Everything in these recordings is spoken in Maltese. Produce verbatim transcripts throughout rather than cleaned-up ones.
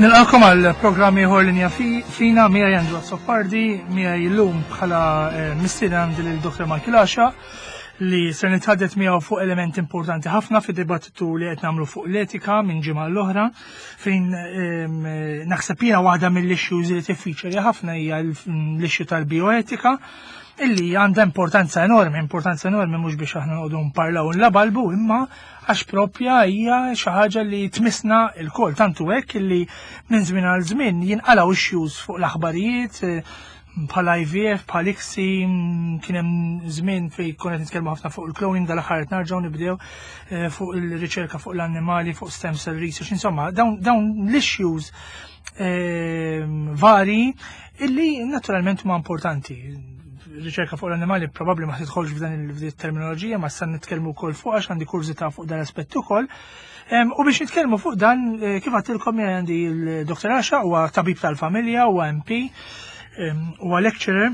Nilqakom għal programm ieħor Linja Fina. Miegħi Andrew Azzopardi. Miegħi llum bħala eh, mistieden għandi lil Doktor Michael Għaxaq, li se nitħaddet miegħu fuq element importanti ħafna fid-dibattitu li qed nagħmlu fuq l-etika minn ġimgħa l-oħra, fejn ehm, naħseb jiena waħda mill-issues li tiffiċeri ħafna hija l-issue tal-bioetika, illi għandha importanza enormi, importanza enormi mhux biex aħna noqogħdu nparlaw nlabalbu, imma għax propja hija xi ħaġa li tmisna lkoll, tantu hekk illi minn żmien għal żmien jinqalgħu issues fuq l-aħbarijiet eh, bħal I V F, bħal ICSI, kien hemm żmien fejn konna qed nitkellmu ħafna fuq il-cloning, dal-aħħar qed nerġgħu nibdew eh, fuq il-riċerka fuq l-annimali, fuq stem cell research, insomma, dawn dawn l-issues eh, vari illi naturalment huma importanti. Riċerka fuq l-annimali probabbli ma tidħolx f'dan il-terminoloġija, ma sa nitkellmu wkoll fuq għax għandi kurżità fuq dan l-aspett ukoll. Em, U biex nitkellmu fuq dan, eh, kif għedtilkom, għandi il-Doktor Għaxaq, huwa tabib tal-familja, huwa M P, em, huwa lecturer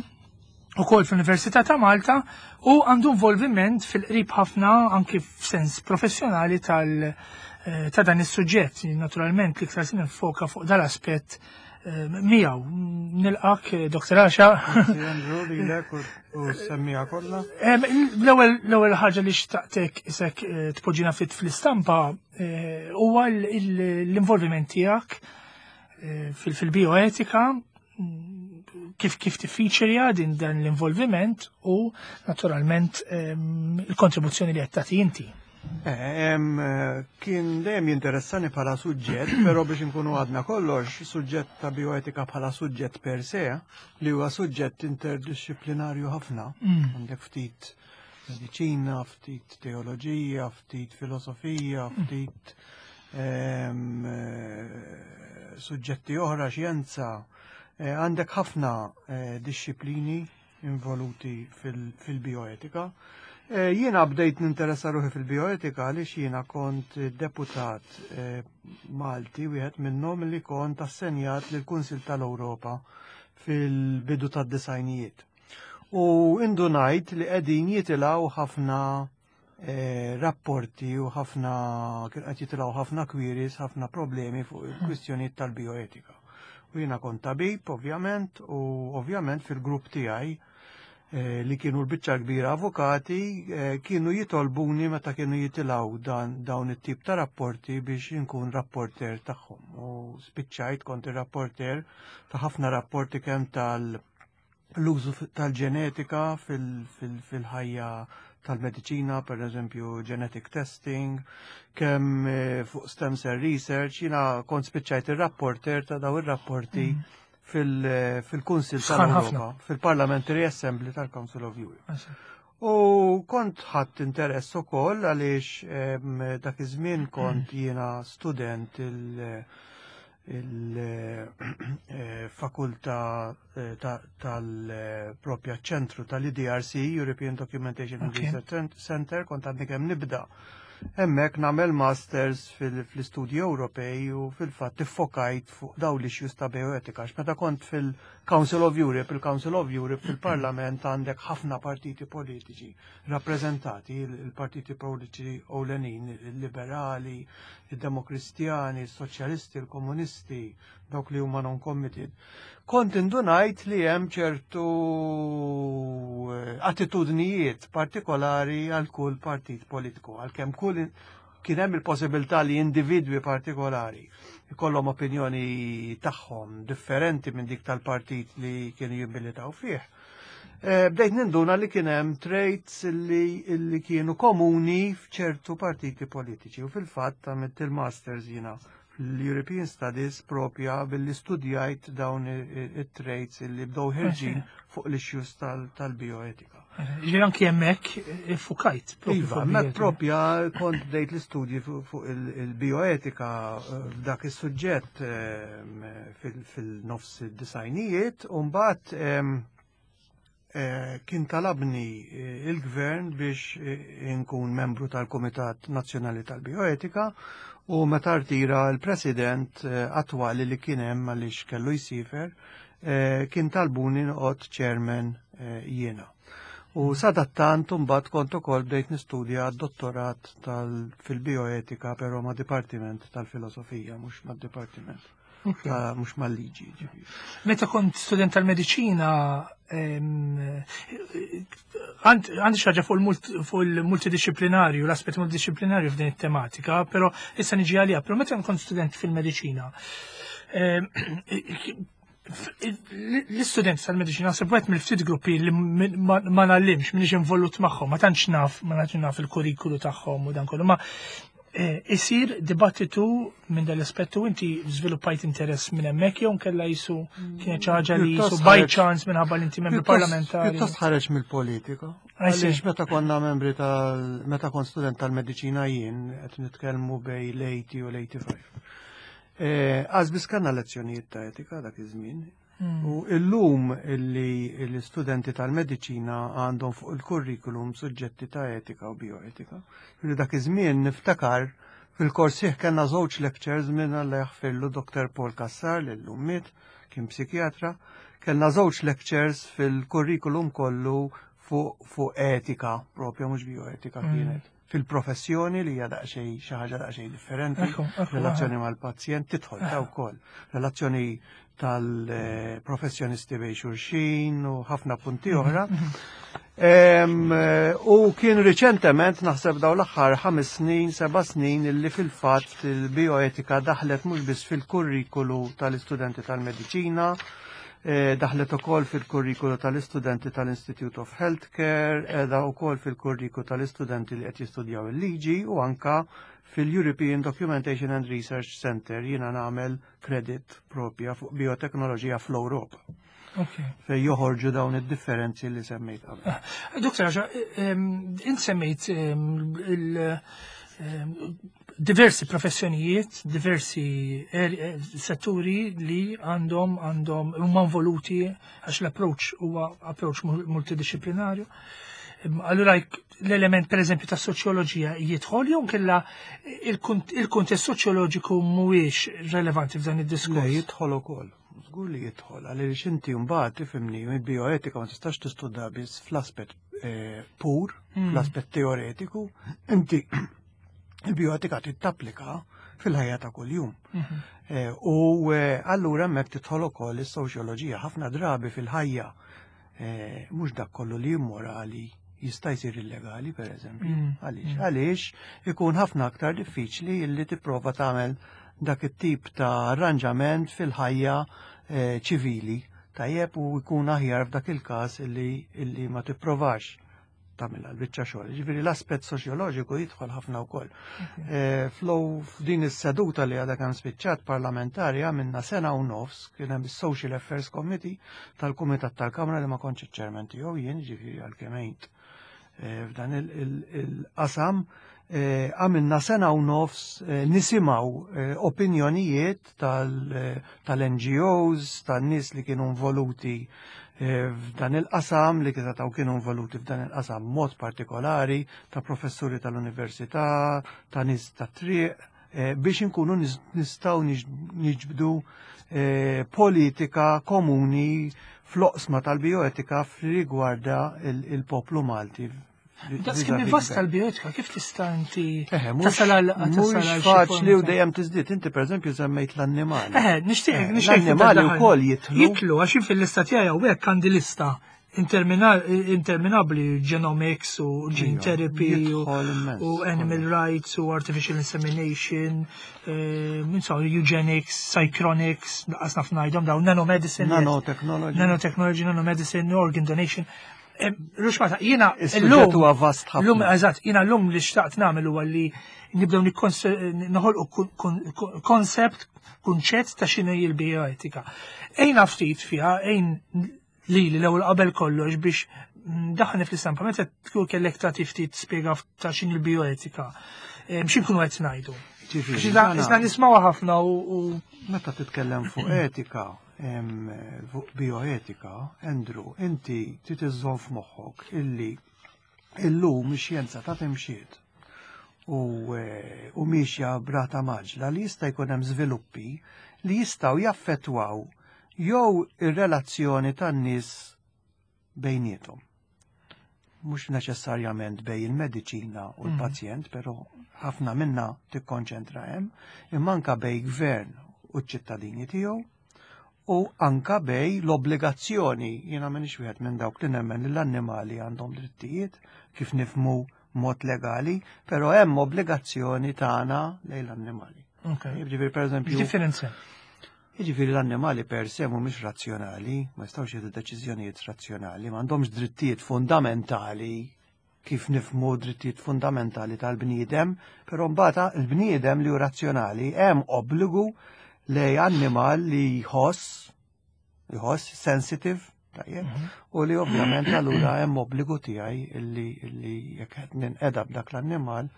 ukoll fl-Università ta' Malta u għandu involviment fil-qrib ħafna anki f'sens professjonali tal eh, ta' dan is-suġġett. Naturalment l-iktar se nifoka fuq dal-aspett eh, miegħu. Nilqak, eh, Doktor Għaxaq. Andrew, lilek u u s-semmiegħa kollha. Em, L-ewwel l-ewwel ħaġa li xtaqtek isek eh, tpoġġina fit fl-istampa eh, huwa l- il- l-involviment tiegħek eh, fil- fil-bioetika, mm, kif kif tiffiċerja din dan l-involviment u naturalment em, il-kontribuzzjoni li qed tagħti inti. Eh, em, eh, Kien dejjem jinteressani bħala suġġett, però biex nkunu għadna kollox, suġġett ta' bioetika bħala suġġett per se, li huwa suġġett interdisciplinarju ħafna. Mm. Għandek ftit mediċina, ftit teoloġija, ftit filosofija, ftit em, eh, suġġetti oħra, xjenza. Eh, Għandek ħafna eh, disċiplini involuti fil- fil-bioetika. Eh, Jiena bdejt ninteressa ruħi fil-bioetika għaliex jiena kont deputat eh, Malti, wieħed minnhom li kont assenjat lil Kunsil tal-Ewropa fil-bidu tad-disgħinijiet. U indunajt li qegħdin jitilgħu ħafna eh, rapporti u ħafna kien qed jitilgħu ħafna queries, ħafna problemi fuq il-kwistjonijiet tal-bioetika. U jiena kont tabib, ovvjament, u ovvjament fil-grupp tiegħi eh, li kienu l-biċċa kbira avukati, eh, kienu jitolbuni meta kienu jitilgħu dan dawn it-tip ta' rapporti biex inkun rapporter tagħhom. U spiċċajt kont ir-rapporter ta' ħafna rapporti, kemm tal l-użu tal-ġenetika fil-ħajja tal-mediċina, per eżempju genetic testing, kemm eh, fuq stem cell research, jiena kont spiċċajt ir-rapporter ta' daw ir-rapporti fil- fil-Kunsil Sħan ħafna. tal-Europa, fil-Parliamentary Assembly tal-Council of Europe. U kont ħadd interess ukoll għaliex em, dak iż-żmien kont jiena student il- il-fakultà tal-propja ċentru tal-E D R C, European Documentation and Okay. Research Center, kont għadni kemm nibda. Hemmhekk nagħmel masters fil- fl-istudji Ewropej u fil-fatt iffokajt fuq dawn l-issues ta' bioetika. Għax meta kont fil-Council of Europe, il-Council of Europe fil-Parlament għandek ħafna partiti politiċi rappreżentati, il-partiti politiċi ewlenin, il-liberali, il-demokristjani, il-soċjalisti, il-komunisti, dawk li huma non-committed. Kont indunajt li hemm ċertu eh, attitudnijiet partikolari għal kull partit politiku, għalkemm kull kien hemm il-possibilità li individwi partikolari ikollhom opinjoni tagħhom differenti minn dik tal-partit li kienu jimbilitaw fih. Eh, Bdejt ninduna li kien hemm traits li, li kienu komuni f'ċertu partiti politiċi u fil-fatt għamilt il-masters jiena fl-European Studies propja billi studjajt dawn it-traits li bdew ħerġin fuq l-issues tal- tal-bioetika. Ġifieri anki hemmhekk iffukajt propju Iva, fuq hemmhekk bioetika. propja kont bdejt l-istudji fuq fuq il- il-bioetika eh, f'dak is-suġġett eh, fil- fil-nofs id-disgħinijiet u mbagħad em, eh, kien talabni eh, il-gvern biex eh, inkun membru tal-Kumitat Nazzjonali tal-Bioetika u meta rtira l-president eh, attwali li kien hemm għaliex kellu jsifer, eh, kien talbuni noqgħod chairman eh, jiena. U sadattant mbagħad kont ukoll bdejt nistudja d-dottorat fil-bioetika, però ma' dipartiment tal-filosofija, mhux ma' dipartiment mhux mal-liġi. Meta kont student tal-mediċina, għandi xi ħaġa fuq il-multidisciplinarju, l-aspett multidisciplinarju f'din it-tematika, però issa niġi għalija, però meta kont student fil-mediċina, l-istudent tal-mediċina naħseb wieħed mill-ftit gruppi li ma ngħallimx, m'iniex involut magħhom, ma tantx naf, ma tantx naf il-kurrikulu tagħhom u dan kollu, ma isir dibattitu minn dal-aspettu. Inti żviluppajt interess minn hemmhekk jew nkella jisu kienet xi ħaġa li jisu by chance minħabba li inti membru parlamentari? Pjuttost ħareġ mill-politika. Għaliex meta konna membri tal meta kont student tal-mediċina jien, qed nitkellmu bejn l-tmenin u l-tmienja u ħamsin. Għax biss kellna lezzjonijiet ta' etika dak iż-żmien. U illum illi l-istudenti tal-mediċina għandhom fuq il-kurrikulum suġġetti ta' etika u bioetika. Illi dak iż-żmien niftakar fil-kors kellna żewġ lectures minn, Alla jaħfirlu, Doktor Paul Cassar, li llum miet, kien psikjatra, kellna żewġ lectures fil-kurrikulum kollu fuq fu etika propja, mhux bioetika kienet. Fil-professjoni, li hija daqsxejn xi ħaġa daqsxejn differenti, relazzjoni mal-pazjent tidħol ta' wkoll, relazzjoni tal-professjonisti bejn xulxin u ħafna punti oħra. U kien riċentement, naħseb daw l-aħħar ħames snin, seba' snin, illi fil-fatt il-bioetika daħlet mhux biss fil-kurrikulu tal-istudenti tal-mediċina, daħlet ukoll fil-kurrikulu tal-istudenti tal-Institute of Healthcare, qiegħda ukoll fil-kurrikulu tal-istudenti li qed jistudjaw il-liġi u anka fil-European Documentation and Research Center jiena nagħmel credit propja fuq bioteknoloġija fl-Ewropa. Fej joħorġu dawn id-differenzi li semmejt qabel. Ah, Doktor, int semmejt il- diversi professjonijiet, diversi er- setturi li għandhom għandhom huma involuti għax l-approach huwa approach multidisciplinarju. Allura l-element, per eżempju, ta' soċjoloġija jidħol jew kella il-kuntest soċjoloġiku mhuwiex relevanti f'dan id-diskors? Le, jidħol ukoll. Żgur li jidħol, għaliex inti mbagħad, tifhimni, il-bioetika ma tistax tistudja biss fl-aspett eh, pur, mm. fl-aspett teoretiku, inti il-bioetika tittapplika fil-ħajja ta' kuljum. Mhm. Eh, u eh, allura hemmhekk tidħol ukoll is-soċjoloġija. Ħafna drabi fil-ħajja mhux dak kollu li immorali jista' jsir illegali, per eżempju. Mm. Għaliex? Mm. Għaliex ikun ħafna aktar diffiċli li tipprova tagħmel dak it-tip ta' arranġament fil-ħajja eh, ċivili. Tajjeb, u jkun aħjar f'dak il-każ illi, illi ma tipprovax tagħmilha l-biċċa xogħol. Ġifieri l-aspett soċjoloġiku jidħol ħafna wkoll. Eh, Flow f'din is-seduta li għadha kemm spiċċat parlamentari għamilna sena u nofs, kien hemm is-Social Affairs Committee tal-Kumitat tal-Kamra li ma kontx iċ-chairman tiegħu jien, ġifieri għalkemm għint eh, f'dan il-qasam, eh, għamilna sena u nofs nisimgħu opinjonijiet tal-N G Os, tan-nies li kienu involuti f'dan il-qasam, li kienu kienu involuti f'dan il-qasam mod partikolari, ta' professuri tal-università, ta' nies ta' triq, eh, biex inkunu nistgħu niġbdu eh, politika komuni fl-oqsma tal-bioetika rigwarda il-poplu Malti. Daqs kemm vasta l-bioetika, kif tista' inti tasal għal Mhux faċli u dejjem tiżdied. Inti, pereżempju, semmejt l-annimali. Eħe, nixtieq eh, nixtieq L-annimali wkoll jidħlu. Jidħlu, għax fil-lista tiegħi hawnhekk għandi lista interminabli: genomics u gene therapy u animal rights u artificial insemination, eh, eugenics, psychronics, lanqas naf ngħidhom daw, nanomedicine. Nanotechnology. Nanotechnology, nanomedicine, organ donation. Ruxmata, jiena l-lum. Huwa vast ħafna. Lum, eżatt, jiena l-lum li xtaqt nagħmel huwa li nibdew noħolqu concept, kunċett ta' x'inhu l-bioetika. Ejna ftit fiha, ejn li li l-ewwel qabel kollox biex daħni fl-istampa, meta tkun kellek tagħti ftit spjega ta' x'inhi l-bioetika. X'in kunu qed ngħidu? Isna nismawha ħafna u Meta titkellem fuq etika, fuq bioetika, Andrew, inti trid iżżomm f'moħħok illi illum ix-xjenza ta' timxiet u, eh, u miexja b'rata mgħaġġla li jista' jkun hemm żviluppi li jistgħu jaffettwaw jew ir-relazzjoni tan-nies bejniethom. Mhux neċessarjament bejn il-mediċina u l-pazjent, però ħafna minna tikkonċentra hemm, imma anka bejn gvern u ċ-ċittadini tiegħu u anka bejn l-obbligazzjoni. Jiena m'iniex wieħed minn dawk li nemmen li l-annimali għandhom drittijiet kif nifhmu mod legali, però hemm obbligazzjoni tagħna lejn l-annimali. Jiġifieri, pereżempju, Differenza. Jiġifieri l-annimali per se mhumiex razzjonali, ma jistgħux jieħdu deċiżjonijiet razzjonali, m'għandhomx drittijiet fundamentali kif nifhmu drittijiet fundamentali tal-bniedem, però mbagħad il-bniedem li hu razzjonali hemm obbligu lejn annimal li jħoss, jħoss sensitive, tajjeb, u li ovvjament allura hemm obbligu tiegħi illi illi jekk qed ninqeda b'dak l-annimal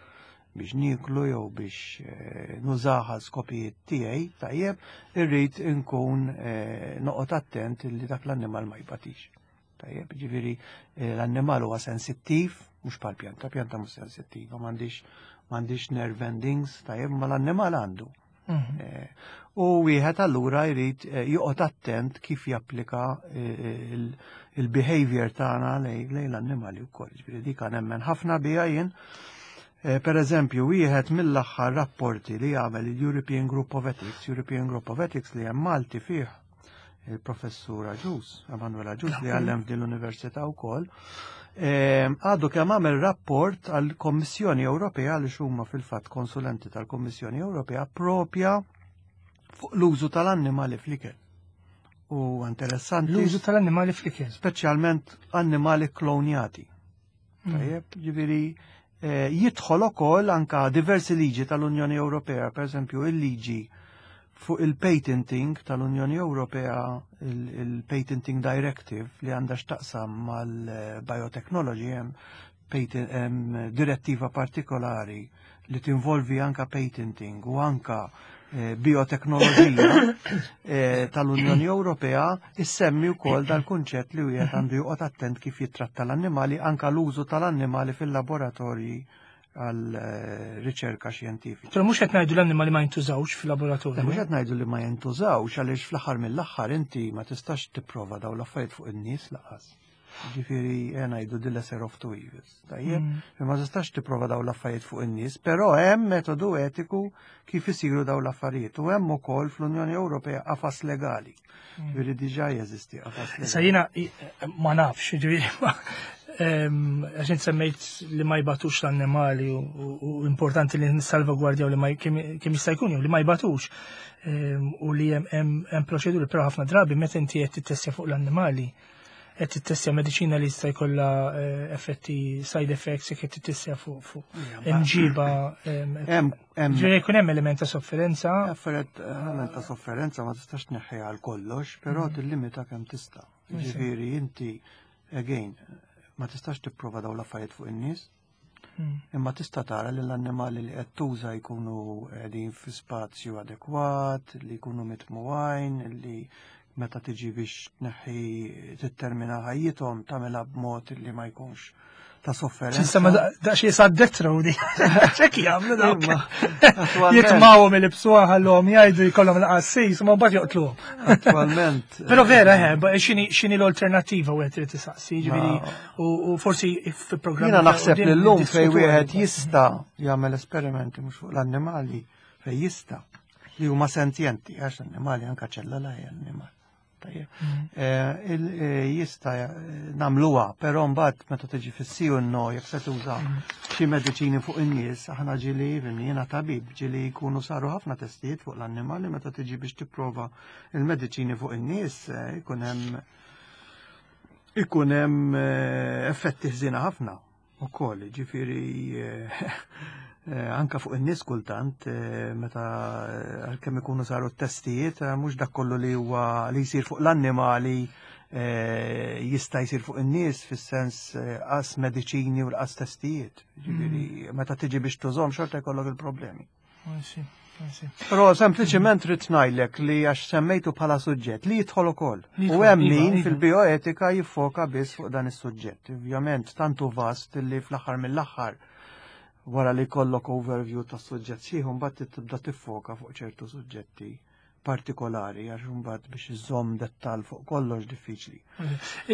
biex niklu jew biex eh, nużaha skopijiet tiegħi, tajjeb, irrid inkun eh, noqgħod attent illi dak l-annimal ma jbatix. Tajjeb, ġifieri eh, l-annimal huwa sensittiv, mhux bħal pjanta, pjanta mhux sensittiva, m'għandix m'għandix nerve endings, tajjeb, ma l-annimal għandu. Mhm. Eh, U wieħed allura jrid eh, joqgħod attent kif japplika eh, il- il-behavior tagħna lejn lejn l-annimali wkoll. Ġifieri dik nemmen ħafna biha jien. Eh, Per eżempju, wieħed mill-aħħar rapporti li għamel il-European Group of Ethics, European Group of Ethics li hemm Malti fih il-professur Agius, Emanuel Agius, li għallem f'din l-Università wkoll, eh, għadu kemm għamel rapport għall-Kommissjoni Ewropea, li huma fil-fatt konsulenti tal-Kommissjoni Ewropea propja fuq l-użu tal-annimali fl-ikel. U interessanti. L-użu tal-annimali fl-ikel. Speċjalment annimali klonjati. Tajjeb, ġifieri eh, jidħol ukoll anka diversi liġi tal-Unjoni Ewropea, per eżempju il-liġi fuq il-patenting tal-Unjoni Ewropea, il- il-Patenting Directive li għandha x'taqsam mal-biotechnology, hemm patent- hemm direttiva partikolari li tinvolvi anka patenting u anka eh, bioteknoloġija eh, tal-Unjoni Ewropea, issemmi wkoll dal-kunċett li wieħed għandu joqgħod attent kif jitratta l-annimali, anka l-użu tal-annimali fil-laboratorji għal eh, riċerka xjentifika. Però mhux qed ngħidu l-annimali ma jintużawx fil-laboratorju. Mhux qed ngħidu li ma jintużawx, għaliex fl-aħħar mill-aħħar inti ma tistax tipprova daw l-affarijiet fuq in-nies lanqas. Ġifieri ngħidu the lesser of two evils. Tajjeb, mm. ma tistax tipprova daw l-affarijiet fuq in-nies, però hemm metodu etiku kif isiru daw l-affarijiet u hemm ukoll fl-Unjoni Ewropea qafas legali. Mm. Ġifieri diġà jeżisti qafas legali. Issa jiena ma nafx, ġifieri għax int semmejt li ma jbatux l-annimali u importanti li nissalvagwardjaw li ma kemm jista' jkun li ma jbatux u li hemm proċeduri, però ħafna drabi meta inti qed tittestja fuq l-annimali, qed tittestja mediċina li jista' jkollha eh, effetti, side effects, jekk qed tittestja fuq fuq imġiba. Ġifieri jkun hemm element ta' sofferenza. Element ta' sofferenza ma tistax tneħħi għal kollox, però mm. tillimita kemm tista'. Ġifieri inti again ma tistax tipprova daw l-affarijiet fuq in-nies. Mm. Imma tista' tara li l-annimali li qed tuża jkunu qegħdin fi spazju adekwat, li jkunu mitmugħin, li meta tiġi biex tneħħi, tittermina ħajjithom, tagħmilha b'mod li ma jkunx ta' sofferenza. Issa ma daqsxejn sa death row di. Ċek jagħmlu dawk. Jitmawhom, il-bsuha, ħallhom jgħidu, jkollhom l-qassis, ma mbagħad joqtluhom. Attualment. Però vera, eh, x'inhi x'inhi l-alternattiva wieħed irid isaqsi, ġifieri u forsi fil-programm. Jiena naħseb li llum fejn wieħed jista' jagħmel esperimenti mhux fuq l-annimali, fejn jista' li huma sentjenti, għax annimali anka ċella hija annimal. Tajjeb. Mm. Eh, eh, jista' nagħmluha, però mbagħad meta tiġi fis-si u no, jekk se tuża mm. xi mediċini fuq in-nies, aħna ġieli, jiena tabib, ġieli jkunu saru ħafna testijiet fuq l-annimali, meta tiġi biex tipprova il-mediċini fuq in-nies eh, ikun hemm ikun hemm effetti ħżiena ħafna ukoll, ġifieri Eh, anka fuq in-nies kultant eh, meta eh, għalkemm ikunu saru t-testijiet, mhux dak kollu li huwa li jsir fuq l-annimali jista' jsir fuq in-nies, fis-sens qas mediċini u l-qas testijiet. Ġifieri mm. meta tiġi biex tużhom xorta jkollok il-problemi. Però sempliċement rrid ngħidlek li għax semmejtu bħala suġġett li jidħol ukoll. U hemm iva, min iva. fil-bioetika jiffoka biss fuq dan is-suġġett. Ovvjament tantu vast li fl-aħħar mill-aħħar, wara li jkollok overview ta' suġġett sħiħ, mbagħad tibda tiffoka fuq ċertu suġġetti. partikolari, għax imbagħad biex iżomm dettal fuq kollox diffiċli.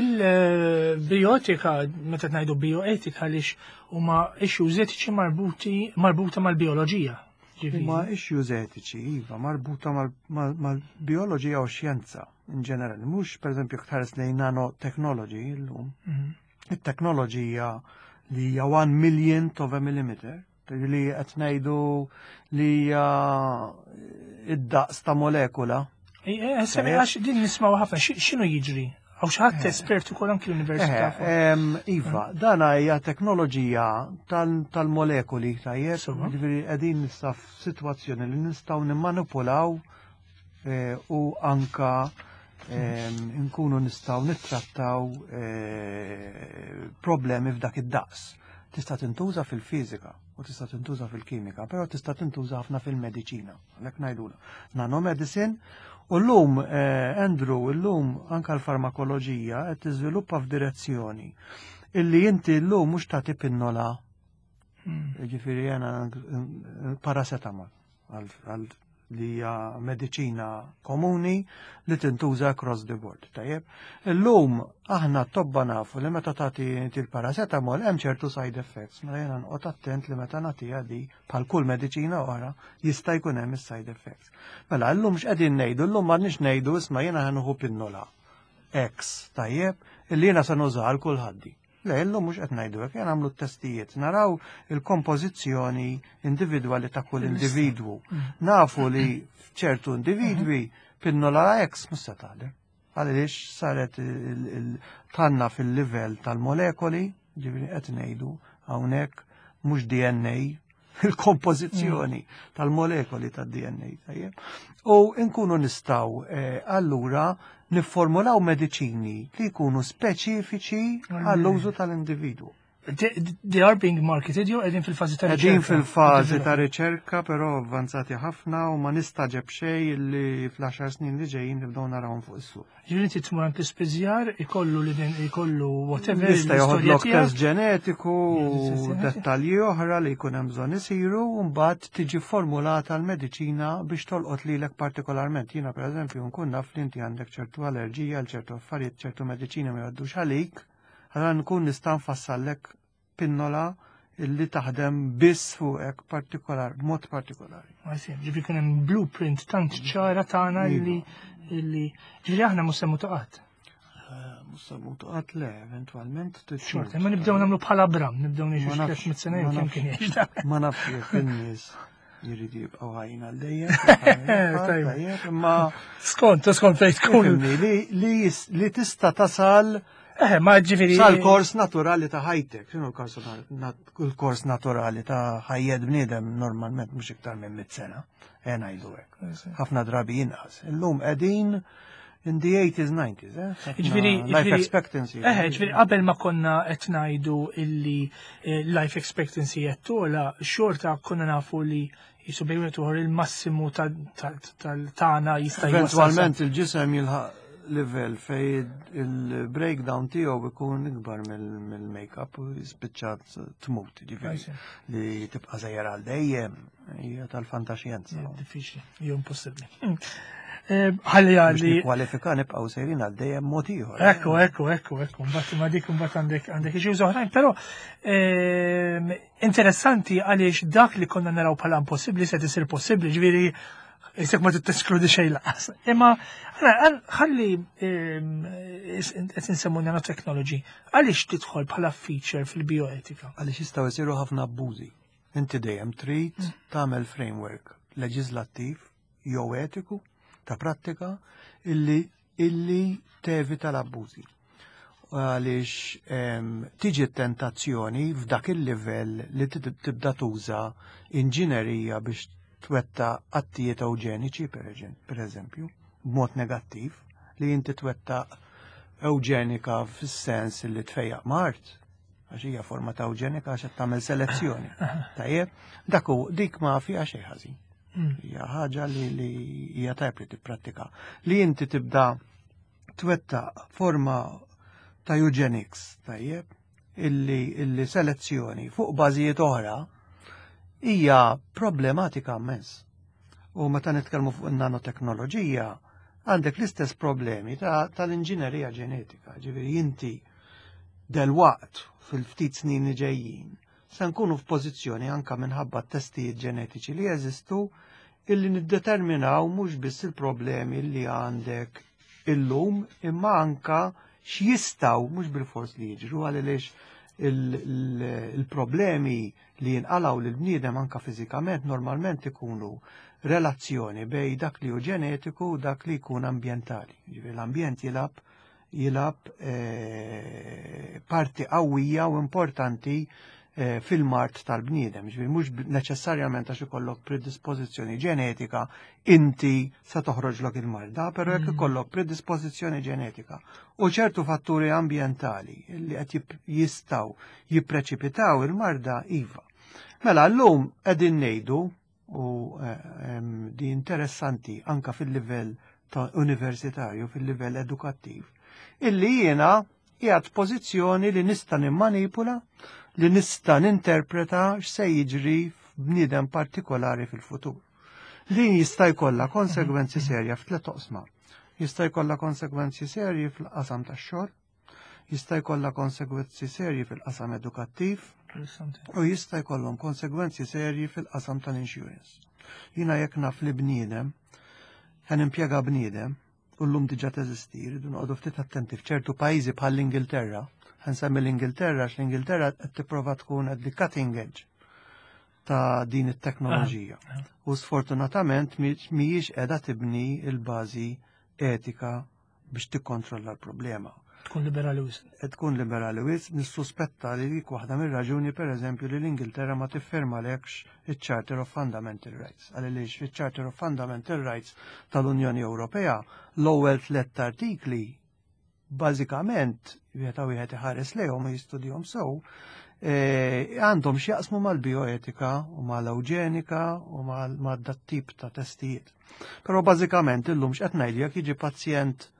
Il-bioetika, meta ngħidu bioetika, għaliex huma issues etiċi marbuti marbuta mal-bioloġija. Huma issues etiċi, iva, marbuta mal-bioloġija u xjenza in ġenerali. Mhux, pereżempju, tħares lejn nanotechnology llum. Mhm. It-teknoloġija li hija one millionth of a millimeter, li qed ngħidu li hija id-daqs ta' molekula. Għax din nismaw ħafna, x'inhu jiġri? Għaw xi ħadd espert ukoll anki l-università. Iva, dana hija teknoloġija tal-molekuli, tajjeb, ġifieri qegħdin nista' f'sitwazzjoni li nistgħu nimmanipulaw eh, u anka nkunu nistgħu nittrattaw eh, problemi f'dak id-daqs. Tista' tintuża fil-fiżika u tista' tintuża fil-kimika, però tista' tintuża ħafna fil-mediċina. Għalhekk ngħidula. Nanomedicine u llum, eh, Andrew, llum anka l-farmakoloġija qed tiżviluppa f'direzzjoni illi inti llum mhux tagħti pinnola, hmm. ġifieri jena paracetamol għal li hija mediċina komuni li tintuża across the board. Tajjeb. Illum aħna tobba nafu li meta tagħti il-paracetamol hemm ċertu side effects, mela jiena noqgħod attent li meta nagħtiha di, bħal kull mediċina oħra, jista' jkun hemm is-side effects. Mela llum x'qegħdin ngħidu? Llum m'għandniex ngħidu, "Isma', jiena ħa nieħu pinnola X, tajjeb, illi jiena se nuża għal kulħadd." Le, illum mhux qed ngħidu hekk, jien nagħmlu t-testijiet, naraw il-kompożizzjoni individwali ta' kull individwu. Mm. Nafu li f'ċertu individwi pinnola X mhux se taħdem. Għaliex saret tanna fil-livell tal-molekoli, ġifieri qed ngħidu hawnhekk mhux D N A, il-kompożizzjoni tal-molekoli tad-D N A. Tajjeb. U nkunu nistgħu eh, allura nifformulaw mediċini li jkunu speċifiċi għall-użu tal-individwu. They are being marketed jew qegħdin fil-fażi ta' Qegħdin fil-fażi ta' riċerka, però avvanzati ħafna, u ma nistagħġeb xejn li fl-għaxar snin li ġejjin nibdew narawhom fuq is-suq. Ġifieri inti tmur għand l-ispiżjar, ikollu li din, ikollu whatever. Jista' joħodlok test ġenetiku u dettalji oħra li jkun hemm bżonn isiru, u mbagħad tiġi formulata l-mediċina biex tolqot lilek partikolarment. Jiena, pereżempju, nkun naf li inti għandek ċertu allerġija għal ċertu affarijiet, ċertu mediċina ma jgħaddux għalik, allura nkun nista' nfassallek pinnola illi taħdem biss fuqek partikolar, b'mod partikolari. Ġifieri kien hemm blueprint tant ċara tagħna illi illi ġifieri aħna mhux se mmutu qatt. Mhux se mmutu qatt, le, eventwalment. Xorta, ma nibdew nagħmlu bħala Abram, nibdew ngħixu xi tliet sena jew kemm kien jgħix. Ma nafx jekk in-nies jiridu jibqgħu ħajjin għal dejjem. Tajjeb, imma Skont, skont fejn tkun. Li tista' tasal Eh, ma ġifieri. Sal-kors naturali ta' ħajtek, x'inhu l-kors naturali ta' ħajjet bniedem? Normalment mhux iktar minn mit sena, e ngħidu hekk. Ħafna drabi inqas. Illum qegħdin in the eighties, nineties, eh? Ġifieri, life expectancy. Eh, ġifieri qabel ma konna qed ngħidu illi eh, life expectancy qed tola, xorta konna nafu li jisu bejn il-massimu tal-tagħna jista' Eventualment il-ġisem jilħaq level fej il-breakdown tiegħu ikun ikbar mill-make-up u jispiċċat tmut, ġifieri li tibqa' żejjer għal dejjem hija tal-fantaxjenza. Diffiċli, jew impossibbli. Eh, ħalli għalli. Kwalifika nibqgħu sejrin għal dejjem mod ieħor. Ekku, ekku, ekku, ekku, mbagħad ma dik mbagħad għandek għandek issues oħrajn, però ehm, interessanti għaliex dak li konna naraw bħala impossibbli se tisir possibbli, ġifieri jisek ma teskludi xejn laqas. Imma ħalli ehm, qed insemmu nanotechnology, għaliex tidħol bħala feature fil-bioetika? Għaliex jistgħu jsiru ħafna abbużi. Inti dejjem trid mm. tagħmel framework leġislattiv jew etiku ta' prattika illi illi tevita l-abbużi. Għaliex tiġi tentazzjoni f'dak il-livell li tibda tuża inġinerija biex twettaq attijiet ewġeniċi, per eżempju, b'mod negattiv, li inti twettaq ewġenika fis-sens li tfejjaq mard, għax hija forma ta' ewġenika, għax qed tagħmel selezzjoni. Tajjeb, dak dik ma fiha xejn ħażin. Mm. Hija ħaġa li li hija tajb li tipprattika. Li inti tibda twettaq forma ta' eugenics, tajjeb, illi, illi selezzjoni fuq bażijiet oħra hija problematika immens. U meta nitkellmu fuq in-nanoteknoloġija, għandek l-istess problemi tal-inġinerija ġenetika. Ġifieri inti delwaqt fil-ftit snin li ġejjin se nkunu f'pożizzjoni anka minħabba testijiet ġenetiċi li jeżistu illi niddeterminaw mhux biss il-problemi li għandek illum imma anka x'jistgħu mhux bil-fors li jiġru, għaliex il-problemi li jinqalgħu lil bniedem anka fiżikament normalment ikunu relazzjoni bej dak li hu ġenetiku u dak li jkun ambjentali. Ġifieri l-ambjent jilgħab jilgħab eh, parti qawwija u importanti eh, fil-mard tal-bniedem. Ġifieri mhux neċessarjament għax ikollok predispożizzjoni ġenetika inti se toħroġlok il-marda, però jekk mm. ikollok predispożizzjoni ġenetika u ċertu fatturi ambjentali li qed jistgħu jippreċipitaw il-marda, iva. Mela llum qegħdin ngħidu, u eh, di interessanti anka fil-livell ta' universitarju, fil-livell edukattiv, illi jiena qiegħed pożizzjoni li nista' nimmanipula, li nista' ninterpreta x'se jiġri f'bniedem partikolari fil-futur. Din jista' jkollha konsegwenzi serja f'tliet oqsma. Jista' jkollha konsegwenzi serji fil-qasam tax-xogħol, jista' jkollha konsegwenzi serji fil-qasam edukattiv u jista' jkollhom konsegwenzi serji fil-qasam tal-insurance. Jiena jekk naf li bniedem, ħa nimpjega bniedem, u llum diġà teżisti, rridu noqogħdu ftit attenti f'ċertu pajjiżi bħal l-Ingilterra. Ħa nsemmi l-Ingilterra għax l-Ingilterra qed tipprova tkun at the cutting edge ta' din it-teknoloġija. Ah, ah. U sfortunatament mhijiex qiegħda tibni l-bażi etika biex tikkontrolla l-problema. Tkun liberali wisq. Tkun liberali wisq, nissuspetta li dik waħda mir-raġuni, pereżempju, li l-Ingilterra ma tiffirmalekx iċ-Charter of Fundamental Rights. Għaliex fiċ-Charter of Fundamental Rights tal-Unjoni Ewropea l-ewwel tliet artikli bażikament, wieħed wieħed iħares lejhom u jistudjahom sew, eh, għandhom x'jaqsmu mal-bioetika u mal-eugenika u mal-dat tip ta' testijiet. Però bażikament illum x'qed ngħidu, jekk jiġi pazjent,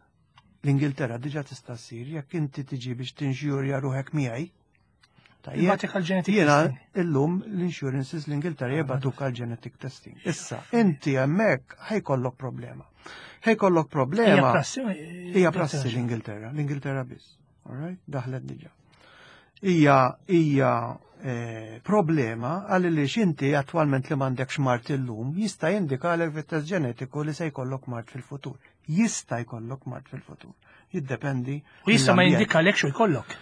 l-Ingilterra diġà tista' ssir, jekk inti tiġi biex tinxjurja ruħek miegħi. Jiena illum l-insurances l-Ingilterra jibagħtuk għal genetic testing. Issa, inti hemmhekk ħa jkollok problema. Ħa jkollok problema. Hija prassi l-Ingilterra, l-Ingilterra biss. All right? Daħlet diġà. Hija hija eh, problema għal li xinti attualment li m'għandekx mard illum jista' jindikalek fit-test ġenetiku li se jkollok mard fil-futur. Jista' jkollok mard fil-futur. Jiddependi. U jista' ma jindikalek xu jkollok.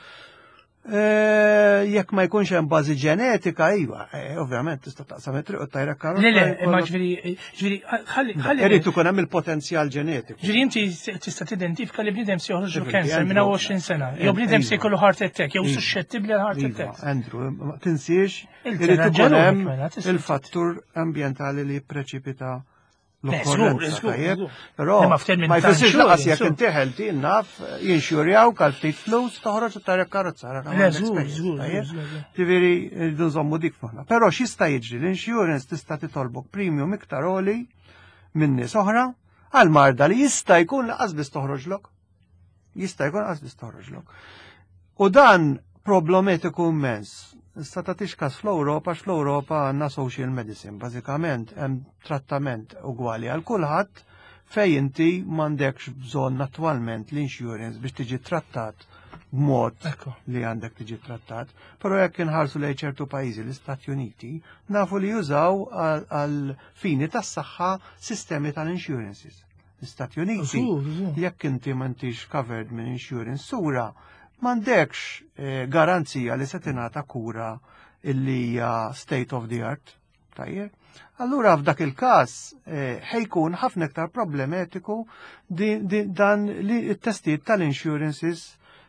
Eh, jekk ma jkunx hemm bażi ġenetika, iva, eh, ovvjament tista' taqsam it-triq u tajrek karozza. Le, le, imma ġifieri, ġifieri, ħalli. ħalli. Irid ikun hemm il-potenzjal ġenetiku. Ġifieri inti tista' tidentifika li bniedem se joħroġ cancer minn għoxrin sena, jew bniedem se jkollu heart attack, jew iva. suscettibbli għal heart iva, attack. Andrew, ma tinsiex irid ikun hemm mela, il-fattur ambjentali li jippreċipita l-okkorrenza. Però ma jfissirx lanqas jekk inti healthy, naf, jinxurjaw għal ftit flus, toħroġ u tarek karozza. Ġifieri rridu nżommu dik f'moħħna. Però x'jista' jiġri, l-insurance tista' titolbok premium iktar għoli minn nies oħra għal marda li jista' jkun lanqas biss toħroġlok. Jista' jkun lanqas biss toħroġlok. U dan problematiku immens. Issa tagħtix kas fl-Ewropa, fl-Ewropa għandna social medicine, bażikament hemm trattament ugwali għal kulħadd fej inti m'għandekx bżonn attwalment l-insurance biex tiġi trattat b'mod li għandek tiġi trattat. Però jekk inħarsu lejn ċertu pajjiżi, l-Istati Uniti, nafu li jużaw għal fini tas-saħħa sistemi tal-insurances. L-Istati Uniti, jekk inti m'intix covered minn insurance sura, m'għandekx eh, garanzija li se tingħata kura illi hija state of the art. Tajjeb. Allura f'dak il-każ eh, ħa jkun ħafna iktar problematiku dan li t-testijiet tal-insurances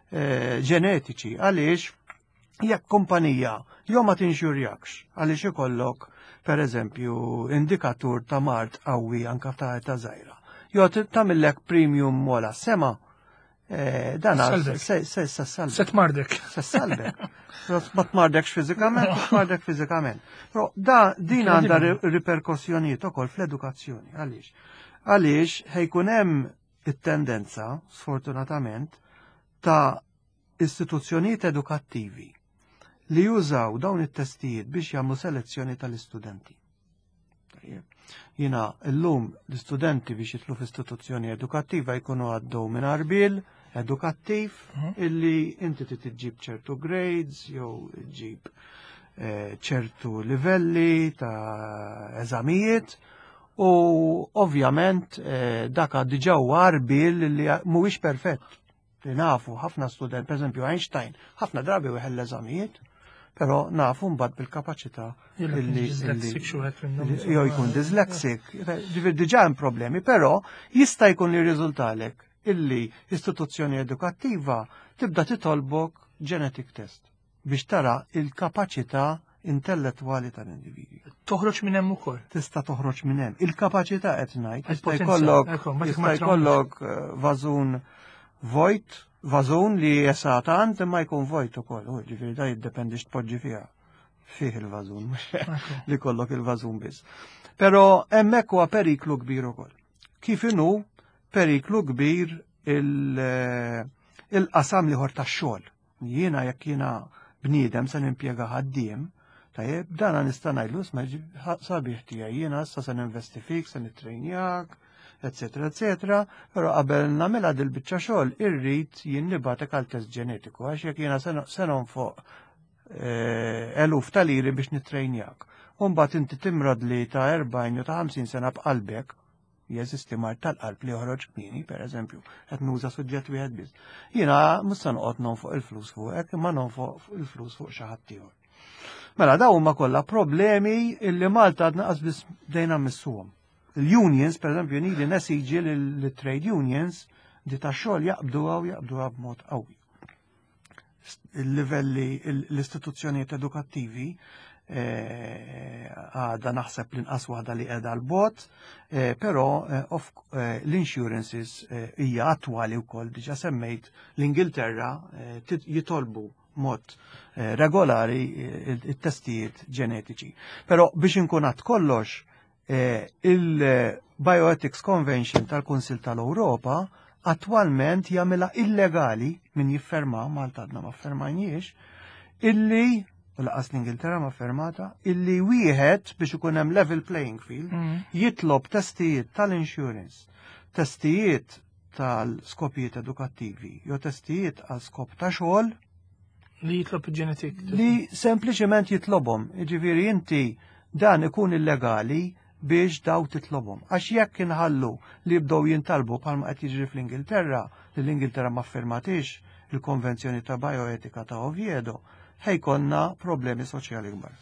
eh, ġenetiċi, għaliex jekk kumpanija jew ma tinxurjakx għaliex ikollok, per eżempju, indikatur ta' mard qawwi anka ta' ta' żgħira. Jew tagħmillek premium mola sema. Eh, dan se se salvek. Se tmardek. Se salvek. Ma tmardekx fiżikament, ma tmardek fiżikament. Però da din għandha riperkossjonijiet ukoll fl-edukazzjoni. Għaliex? Għaliex ħa jkun hemm it-tendenza, sfortunatament, ta' istituzzjonijiet edukattivi li jużaw dawn it-testijiet biex jagħmlu selezzjoni tal-istudenti. Jiena llum l-istudenti biex jidħlu f'istituzzjoni edukattiva jkunu għaddew minn għarbiel edukattiv Mhm. illi inti trid iġġib ċertu grades jew ġib eh, ċertu livelli ta' eżamijiet u ovvjament eh, dak diġà huwa għarbiel li mhuwiex perfett. Li nafu ħafna student, per eżempju Einstein, ħafna drabi weħel l-eżamijiet, però nafu mbagħad bil-kapaċità Illi illi- dyslexic illi- xi wieħed minnhom. jew jkun dyslexic, ġifieri diġà hemm problemi, però jista' jkun li riżultalek illi istituzzjoni edukattiva tibda titolbok genetic test biex tara il-kapaċità intellettwali tal-individwi. Toħroġ minn hemm ukoll. Tista' toħroġ minn hemm. Il-kapaċità qed ngħid, jista' Il-potenzjal, jkollok ekku, ma jista' ma jkollok eh, vażun vojt, vażun li jesa tant imma jkun vojt ukoll, u ġifieri da jiddependi x'tpoġġi fiha. Fih il-vażun, mhux Ekku. li kollok il-vażun biss. Però hemmhekk huwa periklu kbir ukoll. Kif inhu periklu kbir il- eh, il-qasam l-ieħor tax-xogħol. Jiena jekk jiena bniedem se nimpjega ħaddiem, tajjeb, dana nista' ngħidlu isma' ġi- sabiħ tiegħi jiena issa se ninvesti fik, se nittrejnjak, eccetera, eccetera, però qabel nagħmilha dil-biċċa xogħol irrid jien nibgħatek għal test ġenetiku għax jekk jiena se nonfoq eh, eluf ta' liri biex nittrejnjak. U mbagħad inti timrad li ta' erbgħin jew ta' ħamsin sena b'qalbek, jeżisti mard tal-qalb li joħroġ kmieni, per eżempju, qed nuża suġġett wieħed biss. Jiena mhux se noqgħod nonfoq il-flus fuqek, imma nonfoq il-flus fuq xi ħadd ieħor. Mela dawn huma kollha problemi illi Malta għadna qas biss bdejna mmissuhom. Il-unions, per eżempju, nili nesiġi li trade unions di ta' xogħol jaqbduha u jaqbduha b'mod qawwi. Il-livelli, l-istituzzjonijiet edukattivi eh, għada naħseb l-inqas waħda li qiegħda l-bot, eh, però eh, l-insurances hija attwali wkoll diġà semmejt l-Ingilterra jitolbu mod regolari it-testijiet ġenetiċi. Però biex inkun għad kollox, il-Bioethics Convention tal-Kunsil tal-Ewropa attwalment jagħmilha illegali min jifferma, Malta għadna ma fermajniex, illi u lanqas l-Ingilterra ma fermata, illi wieħed biex ikun hemm level playing field mm. jitlob testijiet tal-insurance, testijiet tal-skopijiet edukattivi, jew testijiet għal skop ta' xogħol li jitlob il-genetic. Li sempliċement jitlobhom. Jiġifieri inti dan ikun illegali biex daw titlobhom. Għax jekk inħallu li jibdew jintalbu bħalma qed jiġri fl-Ingilterra, li l-Ingilterra ma firmatix il-Konvenzjoni ta' Bioetika ta' Oviedo, ħa jkollna problemi soċjali kbar.